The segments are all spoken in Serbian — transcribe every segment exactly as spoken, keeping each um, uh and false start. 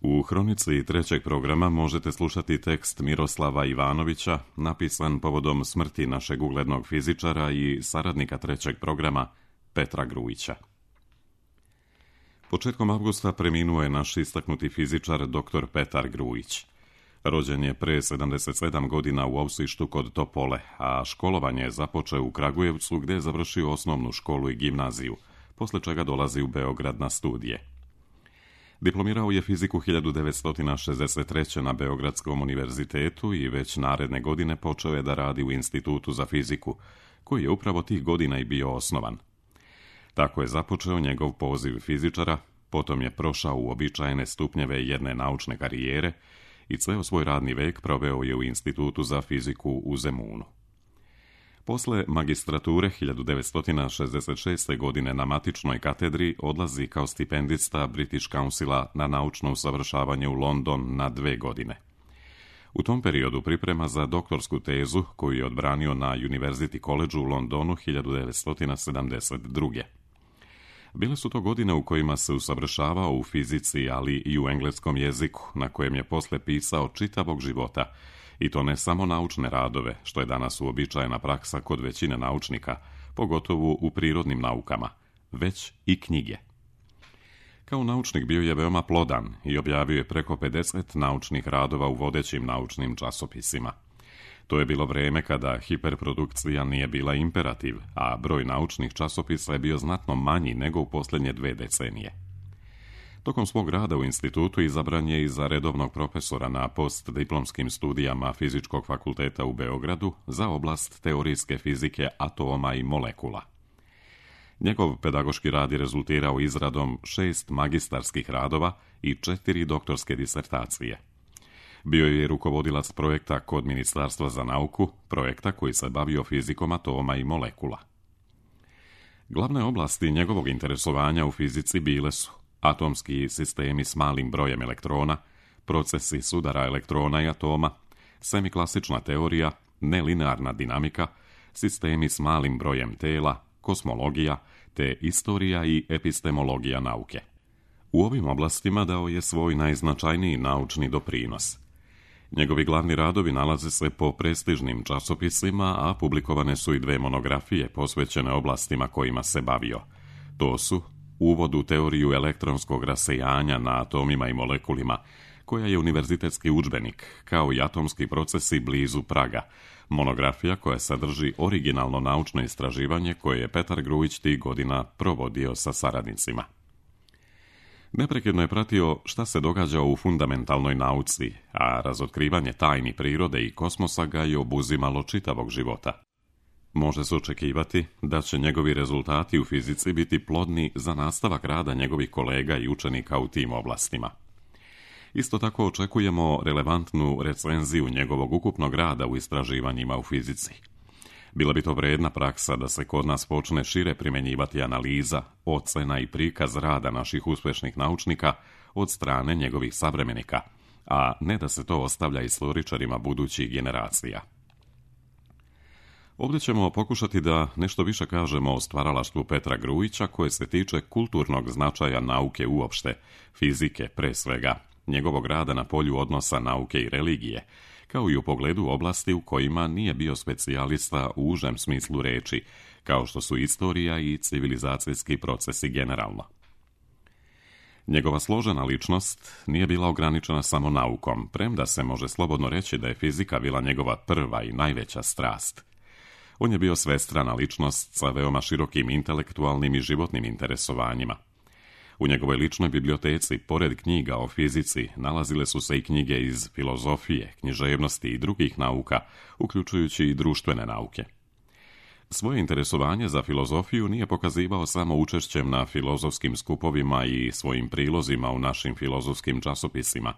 U hronici trećeg programa možete slušati tekst Miroslava Ivanovića, napisan povodom smrti našeg uglednog fizičara i saradnika trećeg programa Petra Grujića. Početkom avgusta preminuo je naš istaknuti fizičar doktor Petar Grujić. Rođen je pre sedamdeset sedam godina u Ausištu kod Topole, a školovanje je započeo u Kragujevcu gdje je završio osnovnu školu i gimnaziju, posle čega dolazi u Beograd na studije. Diplomirao je fiziku hiljadu devetsto šezdeset treće. na Beogradskom univerzitetu i već naredne godine počeo je da radi u Institutu za fiziku, koji je upravo tih godina i bio osnovan. Tako je započeo njegov poziv fizičara, potom je prošao uobičajene stupnjeve jedne naučne karijere i ceo svoj radni vek proveo je u Institutu za fiziku u Zemunu. Posle magistrature hiljadu devetsto šezdeset šeste. godine na matičnoj katedri odlazi kao stipendista British Councila na naučno usavršavanje u London na dve godine. U tom periodu priprema za doktorsku tezu koju je odbranio na University College u Londonu hiljadu devetsto sedamdeset druge. Bile su to godine u kojima se usavršavao u fizici, ali i u engleskom jeziku, na kojem je posle pisao čitavog života, i to ne samo naučne radove, što je danas uobičajena praksa kod većine naučnika, pogotovo u prirodnim naukama, već i knjige. Kao naučnik bio je veoma plodan i objavio je preko pedeset naučnih radova u vodećim naučnim časopisima. To je bilo vreme kada hiperprodukcija nije bila imperativ, a broj naučnih časopisa je bio znatno manji nego u posljednje dve decenije. Tokom svog rada u institutu izabran je i za redovnog profesora na postdiplomskim studijama Fizičkog fakulteta u Beogradu za oblast teorijske fizike atoma i molekula. Njegov pedagoški rad je rezultirao izradom šest magistarskih radova i četiri doktorske disertacije. Bio je rukovodilac projekta kod Ministarstva za nauku, projekta koji se bavio fizikom atoma i molekula. Glavne oblasti njegovog interesovanja u fizici bile su atomski sistemi s malim brojem elektrona, procesi sudara elektrona i atoma, semiklasična teorija, nelinearna dinamika, sistemi s malim brojem tela, kosmologija, te istorija i epistemologija nauke. U ovim oblastima dao je svoj najznačajniji naučni doprinos. Njegovi glavni radovi nalaze se po prestižnim časopisima, a publikovane su i dve monografije posvećene oblastima kojima se bavio. To su Uvod u teoriju elektronskog rasejanja na atomima i molekulima, koja je univerzitetski udžbenik, kao i atomski procesi blizu praga, monografija koja sadrži originalno naučno istraživanje koje je Petar Grujić tih godina provodio sa saradnicima. Neprekidno je pratio šta se događa u fundamentalnoj nauci, a razotkrivanje tajni prirode i kosmosa ga je obuzimalo čitavog života. Može se očekivati da će njegovi rezultati u fizici biti plodni za nastavak rada njegovih kolega i učenika u tim oblastima. Isto tako očekujemo relevantnu recenziju njegovog ukupnog rada u istraživanjima u fizici. Bila bi to vredna praksa da se kod nas počne šire primjenjivati analiza, ocena i prikaz rada naših uspešnih naučnika od strane njegovih savremenika, a ne da se to ostavlja istoričarima budućih generacija. Ovdje ćemo pokušati da nešto više kažemo o stvaralaštvu Petra Grujića koje se tiče kulturnog značaja nauke uopšte, fizike pre svega, njegovog rada na polju odnosa nauke i religije, kao i u pogledu oblasti u kojima nije bio specijalista u užem smislu reči, kao što su istorija i civilizacijski procesi generalno. Njegova složena ličnost nije bila ograničena samo naukom, premda se može slobodno reći da je fizika bila njegova prva i najveća strast. On je bio svestrana ličnost sa veoma širokim intelektualnim i životnim interesovanjima. U njegovoj ličnoj biblioteci, pored knjiga o fizici, nalazile su se i knjige iz filozofije, književnosti i drugih nauka, uključujući i društvene nauke. Svoje interesovanje za filozofiju nije pokazivao samo učešćem na filozofskim skupovima i svojim prilozima u našim filozofskim časopisima,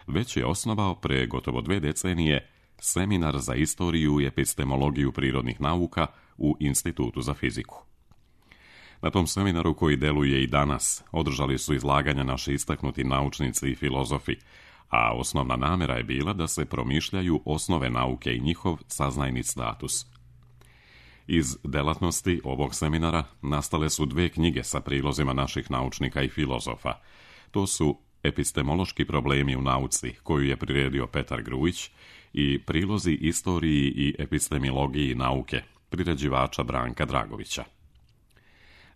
već je osnovao pre gotovo dve decenije seminar za istoriju i epistemologiju prirodnih nauka u Institutu za fiziku. Na tom seminaru, koji deluje i danas, održali su izlaganja naši istaknuti naučnici i filozofi, a osnovna namera je bila da se promišljaju osnove nauke i njihov saznajni status. Iz delatnosti ovog seminara nastale su dve knjige sa prilozima naših naučnika i filozofa. To su Epistemološki problemi u nauci, koju je priredio Petar Grujić, i prilozi istoriji i epistemologiji nauke, priređivača Branka Dragovića.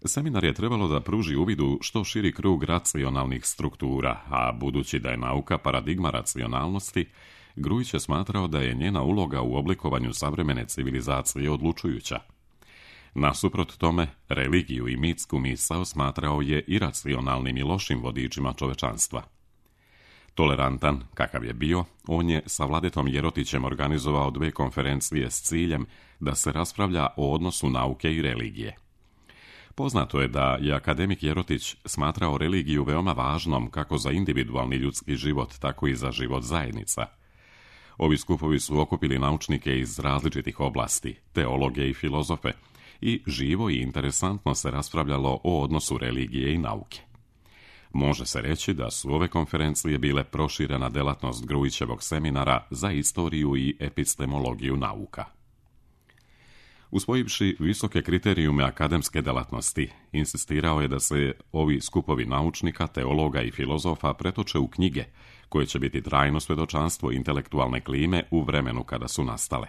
Seminar je trebalo da pruži uvid u što širi krug racionalnih struktura, a budući da je nauka paradigma racionalnosti, Grujić je smatrao da je njena uloga u oblikovanju savremene civilizacije odlučujuća. Nasuprot tome, religiju i mitsku misao smatrao je iracionalnim i lošim vodičima čovečanstva. Tolerantan, kakav je bio, on je sa Vladetom Jerotićem organizovao dve konferencije s ciljem da se raspravlja o odnosu nauke i religije. Poznato je da je akademik Jerotić smatrao religiju veoma važnom kako za individualni ljudski život, tako i za život zajednica. Ovi skupovi su okupili naučnike iz različitih oblasti, teologe i filozofe, i živo i interesantno se raspravljalo o odnosu religije i nauke. Može se reći da su ove konferencije bile proširena delatnost Grujićevog seminara za istoriju i epistemologiju nauka. Usvojivši visoke kriterijume akademske delatnosti, insistirao je da se ovi skupovi naučnika, teologa i filozofa pretoče u knjige, koje će biti trajno svedočanstvo intelektualne klime u vremenu kada su nastale.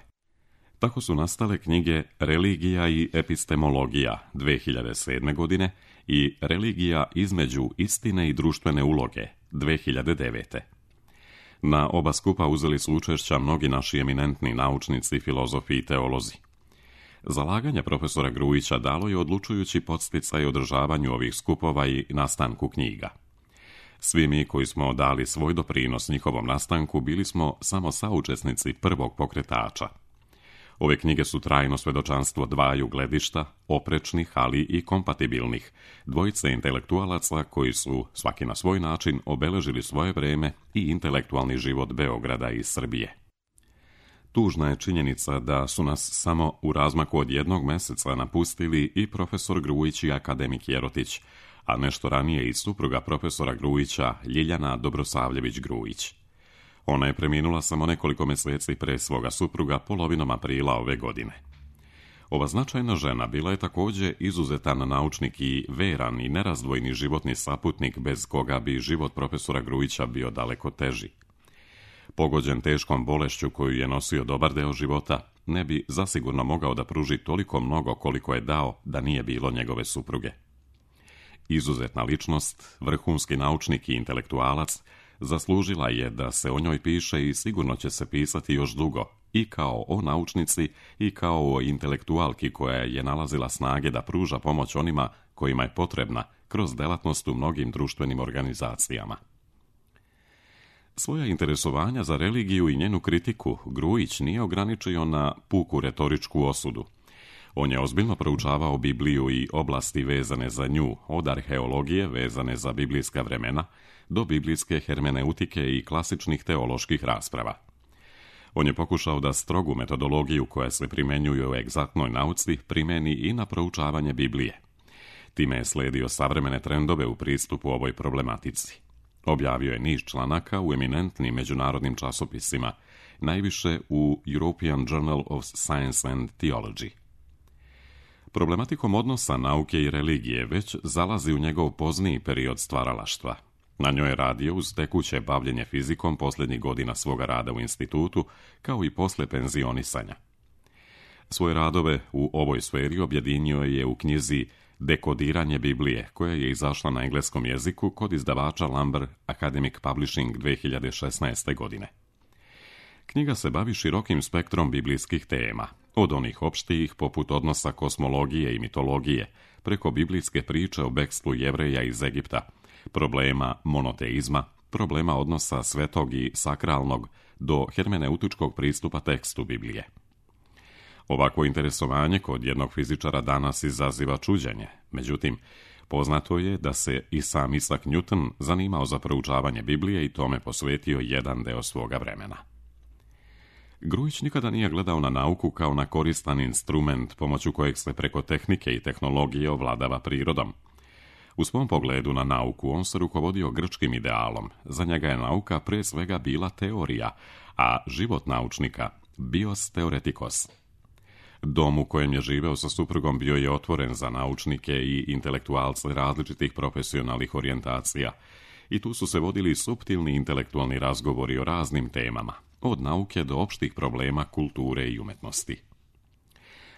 Tako su nastale knjige Religija i epistemologija dve hiljade sedme. godine i Religija između istine i društvene uloge dve hiljade devete. Na oba skupa uzeli su učešća mnogi naši eminentni naučnici, filozofi i teolozi. Zalaganje profesora Grujića dalo je odlučujući podsticaj održavanju ovih skupova i nastanku knjiga. Svi mi koji smo dali svoj doprinos njihovom nastanku bili smo samo saučesnici prvog pokretača. Ove knjige su trajno svedočanstvo dvaju gledišta, oprečnih, ali i kompatibilnih, dvojice intelektualaca koji su, svaki na svoj način, obeležili svoje vreme i intelektualni život Beograda i Srbije. Tužna je činjenica da su nas samo u razmaku od jednog meseca napustili i profesor Grujić i akademik Jerotić, a nešto ranije i supruga profesora Grujića, Ljiljana Dobrosavljević Grujić. Ona je preminula samo nekoliko meseci pre svoga supruga polovinom aprila ove godine. Ova značajna žena bila je također izuzetan naučnik i veran i nerazdvojni životni saputnik bez koga bi život profesora Grujića bio daleko teži. Pogođen teškom bolešću koju je nosio dobar deo života, ne bi zasigurno mogao da pruži toliko mnogo koliko je dao da nije bilo njegove supruge. Izuzetna ličnost, vrhunski naučnik i intelektualac, zaslužila je da se o njoj piše i sigurno će se pisati još dugo, i kao o naučnici i kao o intelektualki koja je nalazila snage da pruža pomoć onima kojima je potrebna kroz delatnost u mnogim društvenim organizacijama. Svoja interesovanja za religiju i njenu kritiku Grujić nije ograničio na puku retoričku osudu. On je ozbiljno proučavao Bibliju i oblasti vezane za nju, od arheologije vezane za biblijska vremena do biblijske hermeneutike i klasičnih teoloških rasprava. On je pokušao da strogu metodologiju koja se primenjuje u egzaktnoj nauci primeni i na proučavanje Biblije. Time je sledio savremene trendove u pristupu ovoj problematici. Objavio je niz članaka u eminentnim međunarodnim časopisima, najviše u European Journal of Science and Theology. Problematikom odnosa nauke i religije već zalazi u njegov pozniji period stvaralaštva. Na njoj je radio uz tekuće bavljenje fizikom posljednjih godina svoga rada u institutu, kao i posle penzionisanja. Svoje radove u ovoj sferi objedinio je u knjizi Dekodiranje Biblije, koja je izašla na engleskom jeziku kod izdavača Lambert Academic Publishing dve hiljade šesnaeste. godine. Knjiga se bavi širokim spektrom biblijskih tema, od onih opštijih poput odnosa kosmologije i mitologije, preko biblijske priče o bekstvu Jevreja iz Egipta, problema monoteizma, problema odnosa svetog i sakralnog do hermeneutičkog pristupa tekstu Biblije. Ovako interesovanje kod jednog fizičara danas izaziva čuđenje, međutim, poznato je da se i sam Isaac Newton zanimao za proučavanje Biblije i tome posvetio jedan deo svoga vremena. Grujić nikada nije gledao na nauku kao na koristan instrument pomoću kojeg se preko tehnike i tehnologije ovladava prirodom. U svom pogledu na nauku on se rukovodio grčkim idealom. Za njega je nauka pre svega bila teorija, a život naučnika bios theoretikos. Dom u kojem je živeo sa suprugom bio je otvoren za naučnike i intelektualce različitih profesionalnih orijentacija i tu su se vodili suptilni intelektualni razgovori o raznim temama, od nauke do opštih problema kulture i umetnosti.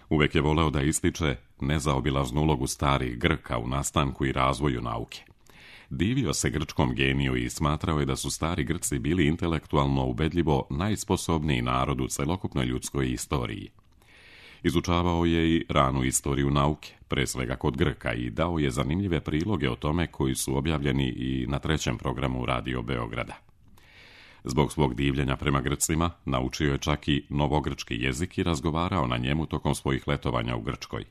Uvek je voleo da ističe nezaobilaznu ulogu starih Grka u nastanku i razvoju nauke. Divio se grčkom geniju i smatrao je da su stari Grci bili intelektualno ubedljivo najsposobniji narod u celokupnoj ljudskoj istoriji. Izučavao je i ranu istoriju nauke, pre svega kod Grka, i dao je zanimljive priloge o tome koji su objavljeni i na trećem programu Radio Beograda. Zbog svog divljenja prema Grcima, naučio je čak i novogrčki jezik i razgovarao na njemu tokom svojih letovanja u Grčkoj.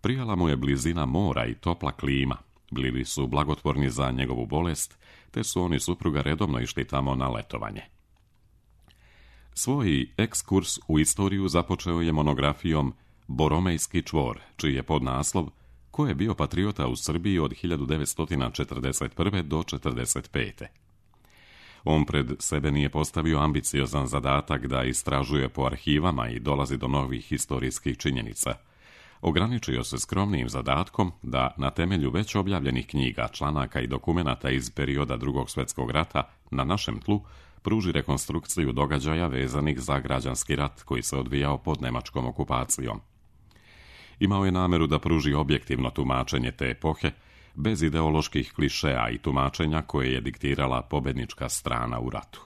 Prijala mu je blizina mora i topla klima, bili su blagotvorni za njegovu bolest, te su oni supruga redovno išli tamo na letovanje. Svoj ekskurs u istoriju započeo je monografijom Boromejski čvor, čiji je podnaslov Ko je bio patriota u Srbiji od hiljadu devetsto četrdeset prve do četrdeset pete. On pred sebe nije postavio ambiciozan zadatak da istražuje po arhivama i dolazi do novih historijskih činjenica. Ograničio se skromnim zadatkom da na temelju već objavljenih knjiga, članaka i dokumenata iz perioda Drugog svjetskog rata na našem tlu pruži rekonstrukciju događaja vezanih za građanski rat koji se odvijao pod nemačkom okupacijom. Imao je nameru da pruži objektivno tumačenje te epohe, bez ideoloških klišeja i tumačenja koje je diktirala pobednička strana u ratu.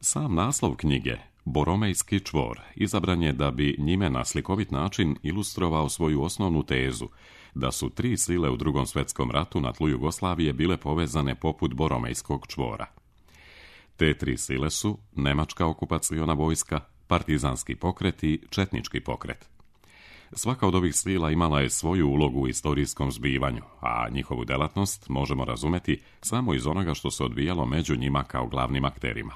Sam naslov knjige, Boromejski čvor, izabran je da bi njime na slikovit način ilustrovao svoju osnovnu tezu, da su tri sile u Drugom svjetskom ratu na tlu Jugoslavije bile povezane poput Boromejskog čvora. Te tri sile su nemačka okupaciona vojska, partizanski pokret i četnički pokret. Svaka od ovih sila imala je svoju ulogu u istorijskom zbivanju, a njihovu delatnost možemo razumeti samo iz onoga što se odvijalo među njima kao glavnim akterima.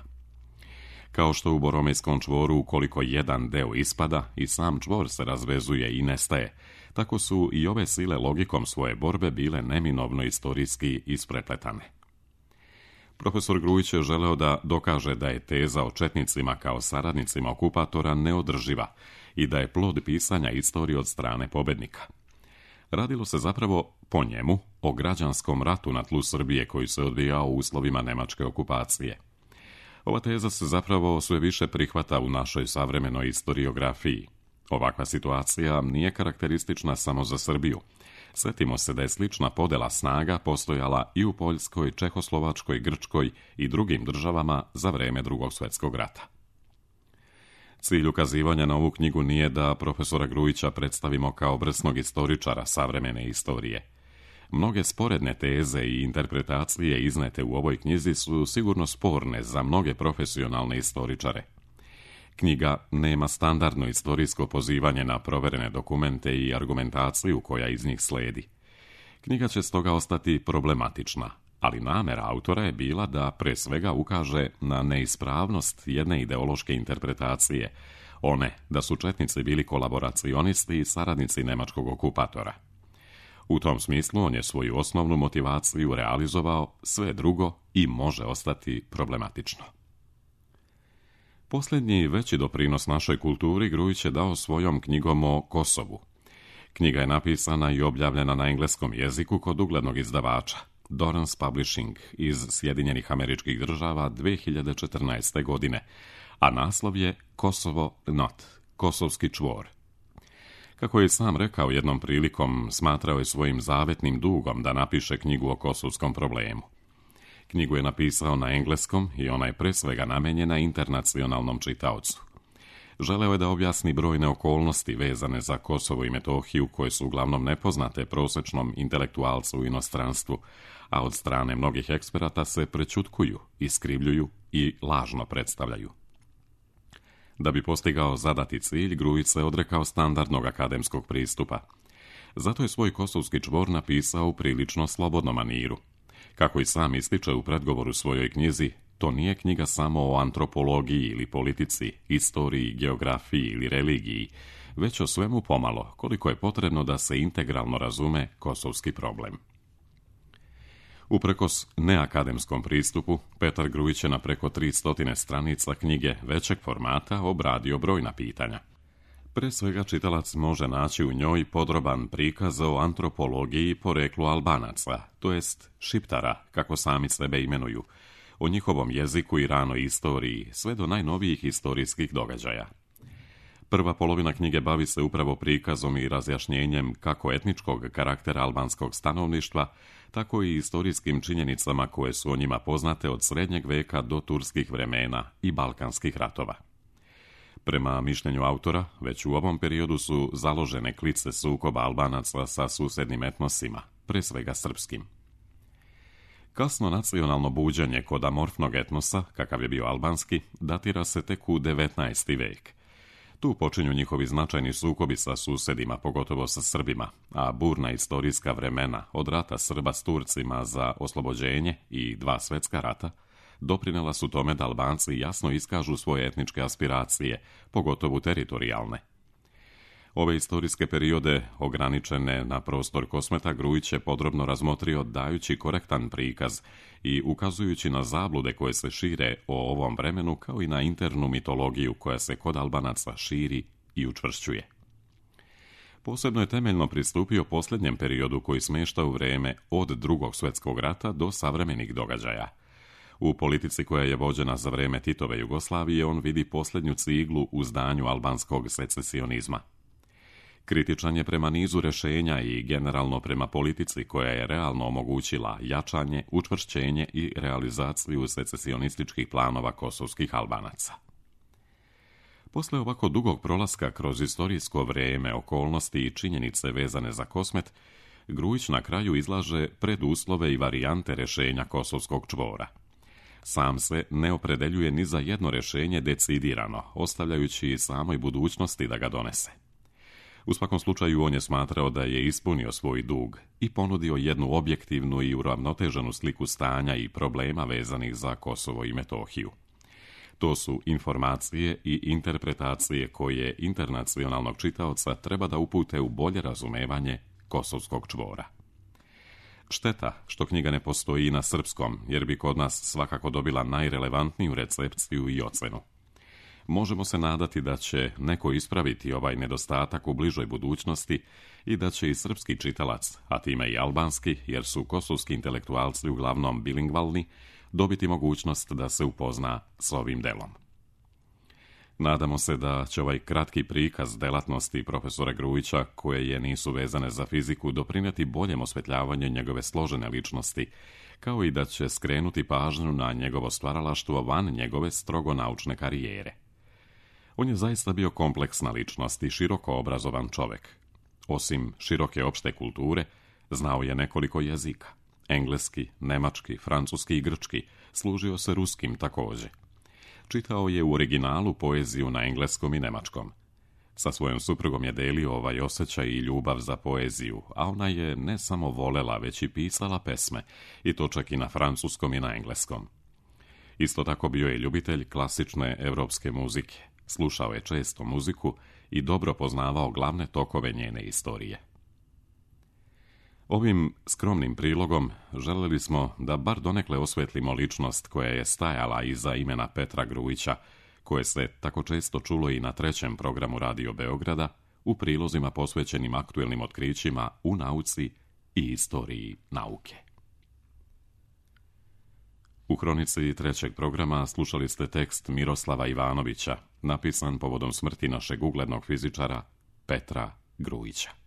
Kao što u Boromejskom čvoru ukoliko jedan deo ispada i sam čvor se razvezuje i nestaje, tako su i ove sile logikom svoje borbe bile neminovno istorijski isprepletane. Profesor Grujić je želeo da dokaže da je teza o četnicima kao saradnicima okupatora neodrživa i da je plod pisanja istorije od strane pobednika. Radilo se zapravo, po njemu, o građanskom ratu na tlu Srbije koji se odvijao u uslovima nemačke okupacije. Ova teza se zapravo sve više prihvata u našoj savremenoj historiografiji. Ovakva situacija nije karakteristična samo za Srbiju. Sjetimo se da je slična podela snaga postojala i u Poljskoj, Čehoslovačkoj, Grčkoj i drugim državama za vreme Drugog svjetskog rata. Cilj ukazivanja na ovu knjigu nije da profesora Grujića predstavimo kao vrsnog istoričara savremene istorije. Mnoge sporedne teze i interpretacije iznete u ovoj knjizi su sigurno sporne za mnoge profesionalne istoričare. Knjiga nema standardno istorijsko pozivanje na proverene dokumente i argumentaciju koja iz njih sledi. Knjiga će stoga ostati problematična, ali namera autora je bila da pre svega ukaže na neispravnost jedne ideološke interpretacije, one da su četnici bili kolaboracionisti i saradnici nemačkog okupatora. U tom smislu on je svoju osnovnu motivaciju realizovao, sve drugo i može ostati problematično. Posljednji veći doprinos našoj kulturi Grujić je dao svojom knjigom o Kosovu. Knjiga je napisana i objavljena na engleskom jeziku kod uglednog izdavača, Dorrance Publishing iz Sjedinjenih Američkih Država dve hiljade četrnaeste. godine, a naslov je Kosovo not, Kosovski čvor. Kako je sam rekao jednom prilikom, smatrao je svojim zavetnim dugom da napiše knjigu o kosovskom problemu. Knjigu je napisao na engleskom i ona je pre svega namenjena internacionalnom čitaocu. Želeo je da objasni brojne okolnosti vezane za Kosovo i Metohiju koje su uglavnom nepoznate prosečnom intelektualcu u inostranstvu, a od strane mnogih eksperata se prećutkuju, iskrivljuju i lažno predstavljaju. Da bi postigao zadati cilj, Grujić se odrekao standardnog akademskog pristupa. Zato je svoj Kosovski čvor napisao u prilično slobodnom maniru. Kako i sam ističe u predgovoru svojoj knjizi, to nije knjiga samo o antropologiji ili politici, istoriji, geografiji ili religiji, već o svemu pomalo, koliko je potrebno da se integralno razume kosovski problem. Uprkos neakademskom pristupu, Petar Grujić je na preko tristo stranica knjige većeg formata obradio brojna pitanja. Pre svega čitalac može naći u njoj podroban prikaz o antropologiji poreklu Albanaca, to jest Šiptara, kako sami sebe imenuju, o njihovom jeziku i ranoj istoriji, sve do najnovijih historijskih događaja. Prva polovina knjige bavi se upravo prikazom i razjašnjenjem kako etničkog karaktera albanskog stanovništva, tako i istorijskim činjenicama koje su o njima poznate od srednjeg veka do turskih vremena i balkanskih ratova. Prema mišljenju autora, već u ovom periodu su založene klice sukoba Albanaca sa susednim etnosima, pre svega srpskim. Kasno nacionalno buđenje kod amorfnog etnosa, kakav je bio albanski, datira se tek u devetnaesti vek. Tu počinju njihovi značajni sukobi sa susedima, pogotovo sa Srbima, a burna istorijska vremena od rata Srba s Turcima za oslobođenje i dva svetska rata doprinela su tome da Albanci jasno iskažu svoje etničke aspiracije, pogotovo teritorijalne. Ove istorijske periode, ograničene na prostor Kosmeta, Grujić je podrobno razmotrio dajući korektan prikaz i ukazujući na zablude koje se šire o ovom vremenu, kao i na internu mitologiju koja se kod Albanaca širi i učvršćuje. Posebno je temeljno pristupio posljednjem periodu koji smješta u vreme od Drugog svjetskog rata do savremenih događaja. U politici koja je vođena za vreme Titove Jugoslavije on vidi posljednju ciglu u zdanju albanskog secesionizma. Kritičan je prema nizu rješenja i generalno prema politici koja je realno omogućila jačanje, učvršćenje i realizaciju secesionističkih planova kosovskih Albanaca. Posle ovako dugog prolaska kroz istorijsko vrijeme, okolnosti i činjenice vezane za Kosmet, Grujić na kraju izlaže preduslove i varijante rješenja kosovskog čvora. Sam se ne opredeljuje ni za jedno rješenje decidirano, ostavljajući samoj budućnosti da ga donese. U svakom slučaju on je smatrao da je ispunio svoj dug i ponudio jednu objektivnu i uravnoteženu sliku stanja i problema vezanih za Kosovo i Metohiju. To su informacije i interpretacije koje internacionalnog čitaoca treba da upute u bolje razumevanje kosovskog čvora. Šteta što knjiga ne postoji i na srpskom, jer bi kod nas svakako dobila najrelevantniju recepciju i ocenu. Možemo se nadati da će neko ispraviti ovaj nedostatak u bližoj budućnosti i da će i srpski čitalac, a time i albanski, jer su kosovski intelektualci uglavnom bilingvalni, dobiti mogućnost da se upozna s ovim delom. Nadamo se da će ovaj kratki prikaz delatnosti profesora Grujića, koje je nisu vezane za fiziku, doprinijeti boljem osvetljavanju njegove složene ličnosti, kao i da će skrenuti pažnju na njegovo stvaralaštvo van njegove strogo naučne karijere. On je zaista bio kompleksna ličnost i široko obrazovan čovek. Osim široke opšte kulture, znao je nekoliko jezika. Engleski, nemački, francuski i grčki, služio se ruskim također. Čitao je u originalu poeziju na engleskom i nemačkom. Sa svojom suprugom je delio ovaj osjećaj i ljubav za poeziju, a ona je ne samo volela, već i pisala pesme, i to čak i na francuskom i na engleskom. Isto tako bio je ljubitelj klasične evropske muzike. Slušao je često muziku i dobro poznavao glavne tokove njene istorije. Ovim skromnim prilogom željeli smo da bar donekle osvetlimo ličnost koja je stajala iza imena Petra Grujića, koje se tako često čulo i na trećem programu Radio Beograda, u prilozima posvećenim aktuelnim otkrićima u nauci i istoriji nauke. U hronici trećeg programa slušali ste tekst Miroslava Ivanovića, napisan povodom smrti našeg uglednog fizičara Petra Grujića.